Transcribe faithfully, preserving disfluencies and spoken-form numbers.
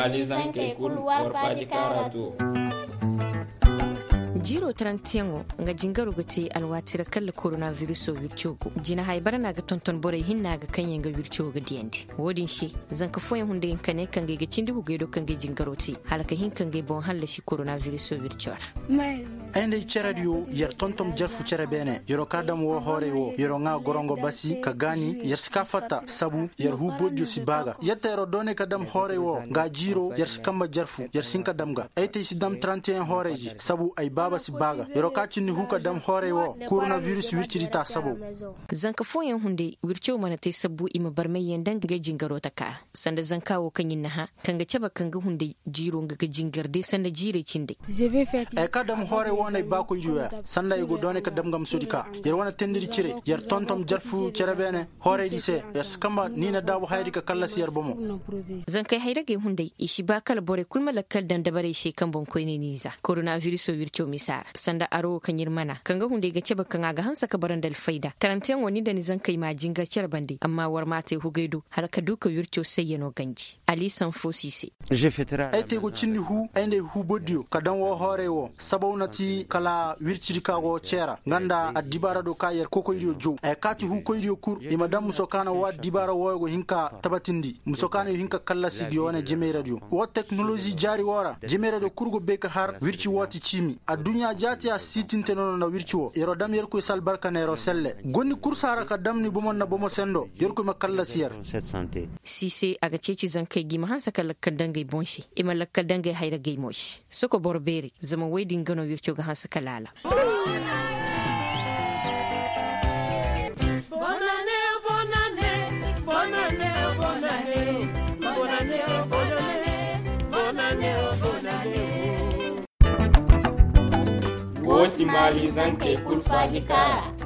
Alizankey kul war faaji kaara to. Jiiroo tarantiyaŋo nga jingaro ga te alwaati ra kalla koronavirisoo wirco go jina haybara no a ga tonton borey hinna ga kaŋyaŋ ga wirco ga diyandi. Wo-din se, zanka fooyaŋ hunday hinka ne kaŋ ga ay ga cindi hugey do kaŋ ga ay jingaro te hala ka hin ka nga ay boŋ hallasi koronavirisoo wirco ra. Ay nda ay cerediyo yer tontom jarfu cere beene yer'o ka dam woo hoorey woo yer'o ŋaa gorongo basi ka gaani yer si kaa fatta sabu yer huu bojjo si baa ga. Yetta yer'o doonay ka dam hoorey woo nga jiiroo yer si kamba jarfu yer si hin ka dam ga ay te ay si dam tarantiyeŋ hoorey di sabu ay baaba si baa ga yer'o ka cinni huu ka dam hoorey woo koronaviris wircidi taa sabow. Zanka fooyaŋ hunday wirco mana te sabbu i ma barmayyaŋ daŋ ga ay jingaroo takaa ra sanda zanka woo kaŋ ir na hã kaŋ ga cabe kaŋ ga hunday jiiroo nga ga jingar day sanda jiirey cindey. Ay ka dam hoorey woo no ay baakoydiyo ya sanda ay go doonay ka dam gamsudi ka yer wane tendiri cire yer tontom jarfu cere beene hooreydi se yer si kamba ni na daabu hayadi ka kallasi yer bomo. Zankey hayragey hunday i si baa kala borey kul ma lakkal daŋ dabarey se kaŋ boŋkoyney n'i za koronavirisoo wirco misa ra sanda aro woo kaŋ ir mana kaŋ ga hunday ga cabe kaŋ a ga hanse ka bara nda alfayda tarantiyaŋo ni nda ni zankey m'a jingar cere bande amma war m'a te hugey do hala ka du ka wirco sayyanoo ganji. Ali sanfo si se. Ay te go cindi huu ay nda ay huu bordiyo ka daŋ woo hoorey woo sabaw na ti kala wircidi ka go ceera nga nda addibaara do ka yer kokoydiyo jow ay kaati huukoydiyo kul i ma daŋ muso ka na woo addibaara wooyo go hin ka tabatindi muso ka na yo hin ka kallasi gi wane jimeyradiyo woo teknolozi jaari woo ra jimeyradiyo kul go bay ka har wirci woo ti ciimi adduɲɲa jaati a siitinte no no nda wirci woo yer'o dam yerkoy si albarka neer'o selle. Gonni kul si a ra ka dam ni bomo nda bomo sendo yerkoy ma kallasi yer. Siise a ga ceeci zankey ga i ma hanse ka lakkal daŋ ga ay boŋ se i ma lakkal daŋ ga ay hayra ga ay mo se soko boro beeri zama woy din ga no wirco ga hanse ka laala. Wo ti maali zankey kul faaji kaara.